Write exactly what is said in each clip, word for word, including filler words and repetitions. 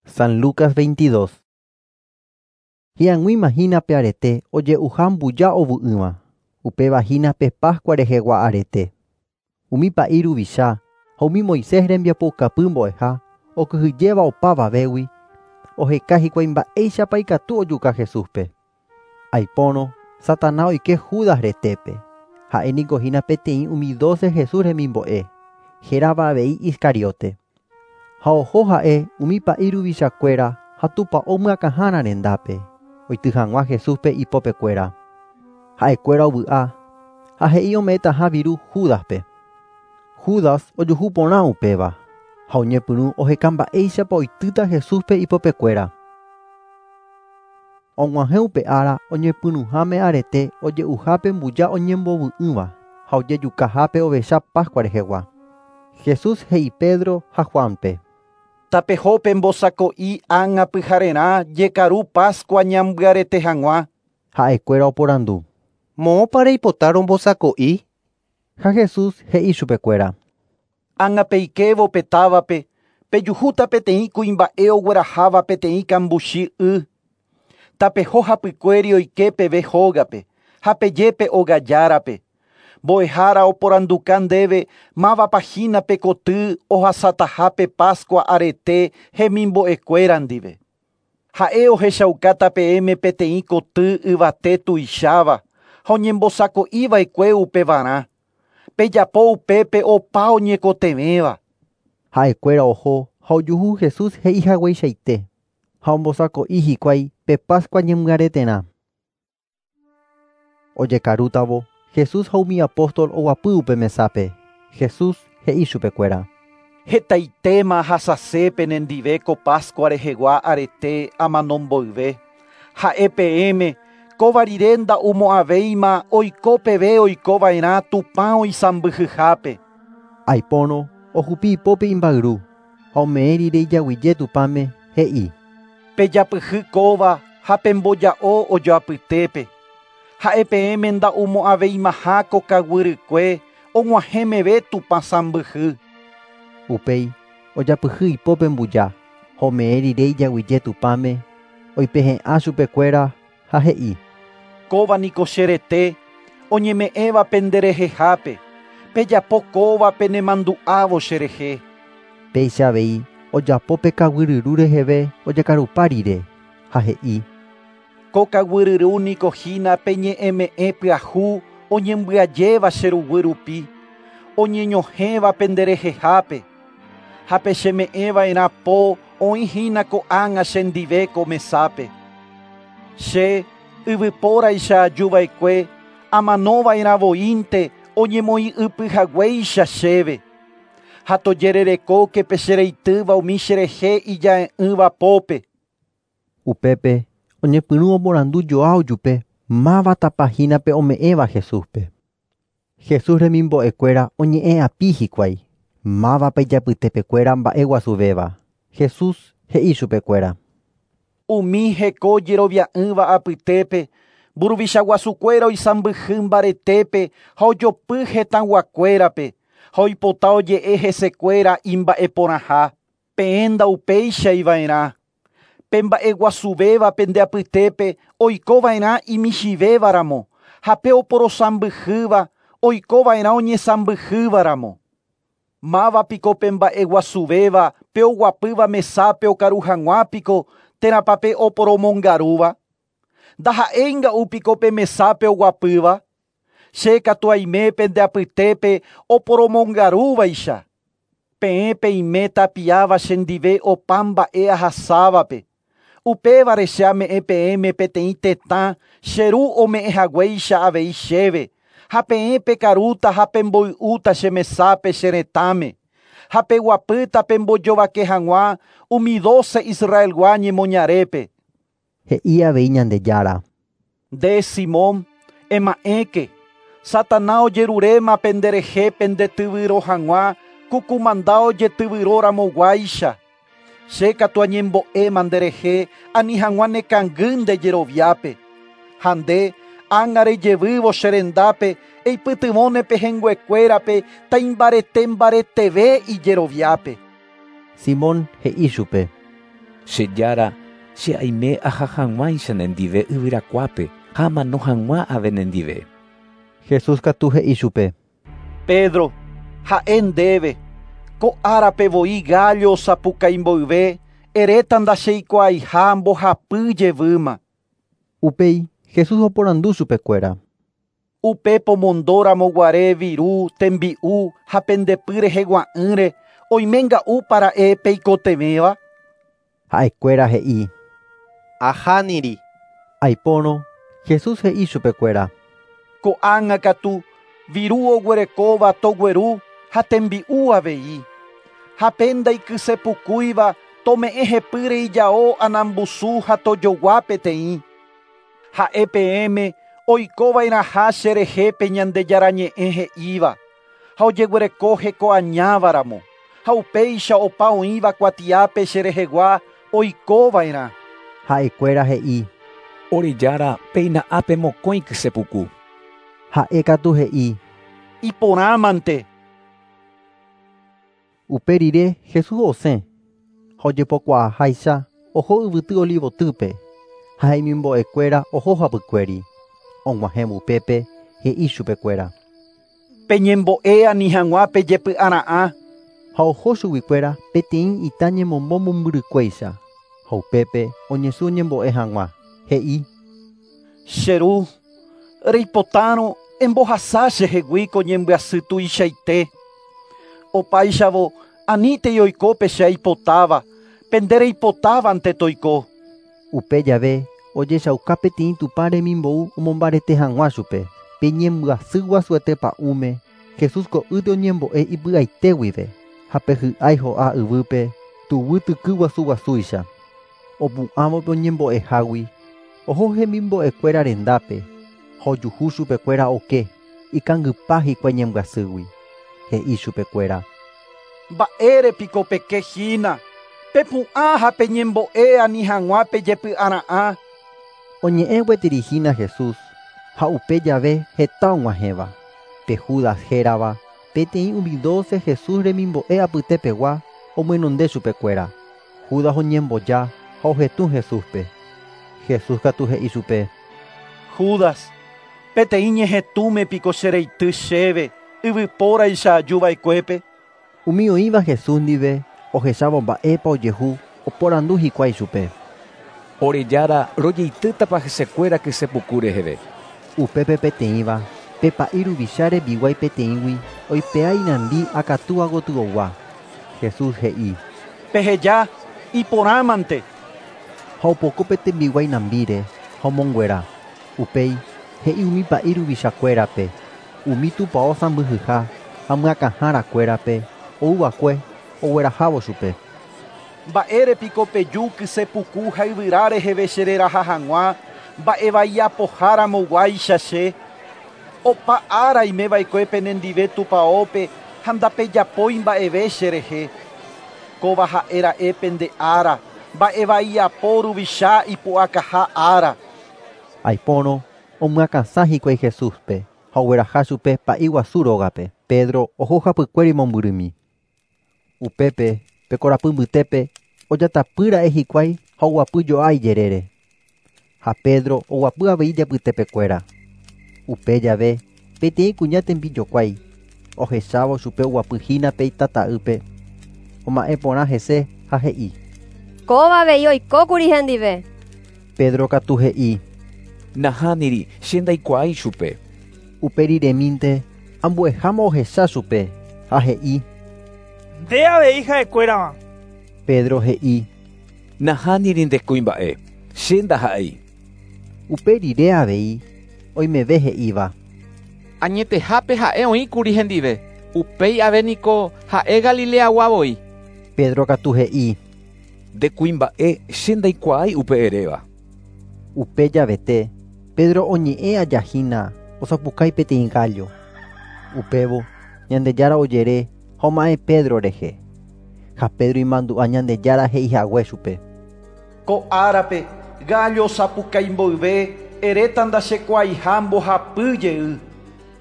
San Lucas veintidós. Hi'ag̃uíma hína pe arete oje'uha mbuja ovu'ỹva, upéva hína pe Pascua rehegua arete. Umi pa'i ruvicha ha umi Moisés rembiapoukapy mbo'eha okyhyjéva opavavégui oheka hikuái mba'éichapa ikatu ojuka Jesúspe. Aipórõ Satanás oike Judas retépe, ha'éniko hína peteĩ umi doce Jesús remimbo'e, hérava avei Iscariote. Ha oho ha'e umi pa'i ruvichakuéra ha tupão myakãhára rendápe, oity hag̃ua Jesúspe ipopekuéra. Ha'ekuéra ovy'a ha he'i ome'ẽtaha viru Júdaspe. Judas ojuhu porã upéva ha oñepyrũ oheka mba'éichapa oitýta Jesúspe ipopekuéra. Og̃uahẽ upe ára oñepyrũháme arete oje'uhápe mbuja oñembovy'ỹva ha ojejukahápe ovecha Pascua rehegua. Jesús he'i Pedro ha Juanpe. Tapeho pembosako'i ág̃a pyharerã jekaru Pascua ñambyarete hag̃ua. Ha'ekuéra oporandu. Moõpa reipota rombosako'i? Ha Jesús he'i chupekuéra. Ág̃a peikévo pe távape, pejuhúta peteĩ kuimba'e ogueraháva peteĩ kambuchi y. Tapeho hapykuéri oike peve hógape, ha peje ogajárape. Mbo'ehára oporanduka ndéve mávapa hína pe koty ohasatahápe Pascua arete hemimbo'ekuéra ndive. Ha'e ohechaukáta peẽme peteĩ koty yvate tuicháva ha oñembosako'iva'ekue upevarã. Pejapo upépe opa oñekotevẽva. Ha'ekuéra oho ha ojuhu Jesús he'ihagueichaite ha ombosako'i hikuái pe Pascua ñemyareterã. Ojekarútavo Jesús ha umi apóstol oguapy upe mesápe. Jesús he'i chupekuéra. Hetaitéma ahasase penendive ko Pascua rehegua arete amano mboyve. Ha'e peẽme kóva rire nda'umo'ãvéima oiko peve oikova'erã Tupã oisãmbyhyhápe. Aipórõ ohupi ipópe imba'yru ha ome'ẽ rire ijaguyje Tupãme he'i. Pejapyhy kóva ha pemboja'o ojoapytépe. Ha'e peẽme nda'umo'ãveimaha ko kaguyrykue og̃uahẽ meve Tupã sãmbyhy. Upéi ojapyhy ipópe mbuja ha ome'ẽ rire ijaguyje Tupãme oipehe'ã chupekuéra ha he'i. Kóva niko che rete oñeme'ẽva penderehehápe, pejapo kóva penemandu'ávo cherehe. Péicha avei ojapo pe kaguyryru reheve ojekarupa rire ha he'i. Ko kaguyryru niko hína pe ñe'ẽme'ẽ pyahu oñembyajéva che ruguy rupi, oñeñohẽva penderehehápe. Ha pe cheme'ẽva'erã po oĩhína ko'ág̃a chendive ko mesápe. Che yvypóraicha ajuva'ekue amanova'erãvoínte oñemoĩ'ypyhaguéicha chéve. Ha tojererekóke pe chereitýva umi cherehe ija'e'ỹva pópe. Upépe oñepyrũ oporandu joa ojupe mávatapa hína pe ome'ẽva Jesúspe. Jesús remimbo'ekuéra oñe'ẽ'api hikuái mávapa ijapytepekuéra mba'eguasuvéva. Jesús he'i chupekuéra. Umi heko jerovia'ỹva apytépe, mburuvicha guasukuéra oisãmbyhy mbaretépe ha ojopy hetãguakuérape ha oipota oje'e hesekuéra imba'eporãha. Peẽ ndaupeichaiva'erã. Pe mba'eguasuvéva pende apytépe oikova'erã imichĩvévaramo ha pe oporosãmbyhýva oikova'erã oñesãmbyhývaramo. Mávapiko pe mba'eguasuvéva pe oguapýva mesápe okaru hag̃uápiko térãpa pe oporomongarúva. Ndaha'éinga'úpiko pe mesápe oguapýva. Che katu aime pende apytépe oporomongarúvaicha. Peẽ peime tapiáva chendive opa mba'e ahasávape. Upévare che ame'ẽ peẽme peteĩ tetã che ru ome'ẽhaguéicha avei chéve. Ha peẽ pekarúta ha pemboy'úta che mesápe che retãme. Ha peguapýta pembojovake hag̃ua umi doce Israelgua ñemoñarépe. He'i avei Ñandejára. Nde Simón, ema'ẽke, Satanás ojeruréma penderehe pendetyvyro hag̃ua ku kumanda ojetyvyróramoguáicha. Che katu añembo'éma nderehe ani hag̃ua nekangy nde jeroviápe. Ha nde ág̃a rejevývo che rendápe eipytyvõne pehẽnguekuérape taimbarete mbareteve ijeroviápe. Simón he'i chupe. Che Jára, che aime aha hag̃uáicha nendive yvyrakuápe ha amano hag̃ua ave nendive. Jesús katu he'i chupe. Pedro, ha'e ndéve, ko árape voi gallo osapukái mboyve, eréta ndacheikuaaiha mbohapy jevýma. Upéi Jesús oporandu chupekuéra. Upe pomondóramo guare viru, tembi'u ha pendepy rehegua'ỹre oimenga'úpa ra'e peikotevẽva. Ha'ekuéra he'i. Ahániri. Aipórõ Jesús he'i chupekuéra. Ko'ág̃a katu viru oguerekóva togueru ha tembi'u avei. Ha pe ndaikysepukúiva tome'ẽ hepýre ijao anambusu ha tojogua peteĩ. Ha'e peẽme oikova'erãha cherehe pe Ñandejára ñe'ẽ he'íva ha ojeguereko hekoañávaramo ha upéicha opa oĩva kuatiápe cherehegua oikova'erã. Ha'ekuéra he'i. Ore Jára, péina ápe mokõi kysepuku. Ha'e katu he'i. Iporãmante. Upe rire Jesús osẽ ha ojepokuaaháicha oho yvyty Olivotýpe ha hemimbo'ekuéra oho hapykuéri. Og̃uahẽvo upépe he'i chupekuéra. Peñembo'e ani hag̃ua pejepy'ara'ã. Ha oho chuguikuéra peteĩ ita ñemombo mombyrykuéicha ha upépe oñesũ oñembo'e hag̃ua. He'i. Che ru, reipotárõ embohasa chehegui ko ñembyasy tuichaite. Opáichavo anítei oiko pe che aipotáva, pende reipotávante toiko. Upe jave ojechauka peteĩ Tupã remimbou omombarete hag̃ua chupe. Pe ñembyasy guasuete pa'ũme Jesús ko'ýte oñembo'e ipy'aite guive ha pe hy'ái ho'a yvýpe tuguy tyky guasu guasúicha. Opu'ãvo pe oñembo'ehágui oho hemimbo'ekuéra rendápe ha ojuhu chupekuéra oke ikangypa hikuái ñembyasýgui. He'i chupekuéra. Mba'érepiko pekehína, pepu'ã ha peñembo'e ani hag̃ua pejepy'ara'ã. Oñe'ẽ gueterihína Jesús ha upe jave heta og̃uahẽva. Pe Judas hérava peteĩ umi doce Jesús remimbo'e apytepegua omyenonde chupekuéra. Judas oñemboja ha ohetũ Jesúspe. Jesús katu he'i chupe. Judas, peteĩ ñehetũme piko chereity chéve yvypóraicha ajuva'ekuépe. Umi oĩva Jesús ndive ohechávo mba'épa ojehu oporandu hikuái chupe. Ore Jára, rojeitýtapa hesekuéra kysepuku reheve. Upépe peteĩva pe pa'i ruvicha rembiguái peteĩgui oipe'a inambi akatúa gotyogua. Jesús he'i. Peheja iporãmante. Ha opoko pe tembiguái nambíre ha omonguera. Upéi he'i umi pa'i ruvichakuérape, umi tupão sãmbyhyha ha myakãharakuérape ouva'ekue oguerahávo chupe. Mba'érepiko peju kysepuku ha yvyra reheve chereraha hag̃ua mba'evaiapoháramoguáicha che. Opa ára aimeva'ekue penendive tupãópe ha ndapejapói mba'eve cherehe. Kóva ha'e ra'e pende ára, mba'evaiapo ruvicha ipu'akaha ára. Aipórõ omyakãsã hikuái Jesúspe ha ogueraha chupe pa'i guasu rógape. Pedro oho hapykuéri mombyrymi. Upépe pe korapy mbytépe ojatapýra'e hikuái ha oguapy jo'a ijerére. Ha Pedro oguapy avei ijapytepekuéra. Upe jave peteĩ kuña tembijokuái ohechávo chupe oguapyhína pe itata'ýpe oma'ẽ porã hese ha he'i. Kóva avei oikókuri hendive. Pedro katu he'i. Nahániri, che ndaikuaái chupe. Upe riremínte ambueháma ohecha chupe ha he'i. Nde avei ha'ekuérava. Pedro he'i. Nahániri nde kuimba'e, che ndaha'éi. Upe rire avei oimeve he'íva. Añetehápe ha'e oĩkuri hendive. Upéi ave niko ha'e Galileagua voi. Pedro katu he'i. Nde kuimba'e che ndaikuaái upe eréva. Upe javete Pedro oñe'ẽ ajahína osapukái peteĩ gallo. Upévo Ñandejára ojere ha oma'ẽ Pedro rehe. Ha Pedro imandu'a Ñandejára he'ihague chupe. Ko árape gallo osapukái mboyve eréta ndachekuaaiha mbohapy jey.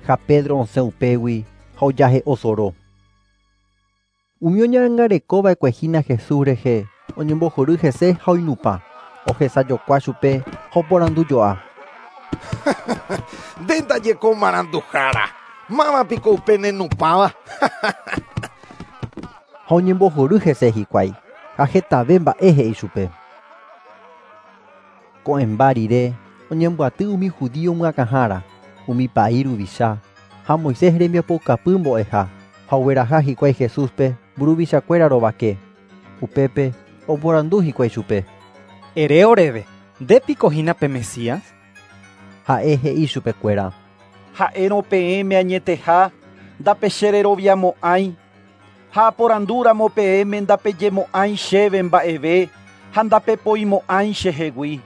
Ha Pedro osẽ upégui ha ojahe'o soro. Umi oñangarekova'ekue hína Jesús rehe Oñembohory hese ha oinupã. Ohesajokua chupe ha oporandujoa. Nde ndajeko maranduhára. Mávapiko upe nenupãva. Ha oñembohory hese hikuái ha hetave mba'e he'i chupe. Ko'ẽmba rire oñembyaty umi judío myakãhára, umi pa'i ruvicha ha Moisés rembiapokapy mbo'eha ha ogueraha hikuái Jesúspe mburuvichakuéra rovake. Upépe oporandu hikuái chupe. Ere oréve, ndépiko hína pe Mesías? Ha'e he'i chupekuéra. Ha'érõ peẽme añeteha ndapechereroviamo'ãi ha aporandúramo peẽme ndapejemo'ãi chéve mba'eve ha ndapepoimo'ãi chehegui.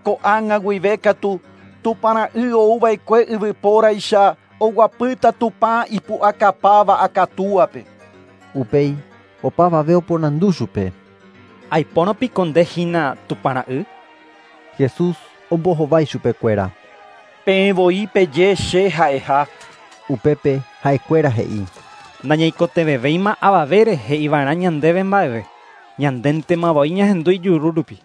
Ko'ág̃a guive katu Tupãra'y ouva'ekue yvypóraicha oguapýta Tupã ipu'akapáva akatúape. Upéi opavave oporandu chupe. Aipórõpiko nde hína Tupãra'y? Jesús ombohovái chupekuéra. Peẽ voi peje che ha'eha. Upépe ha'ekuéra he'i. Nañaikotevẽvéima avavére he'iva'erã ñandéve mba'eve. Ñandéntema voi ñahendu ijuru rupi.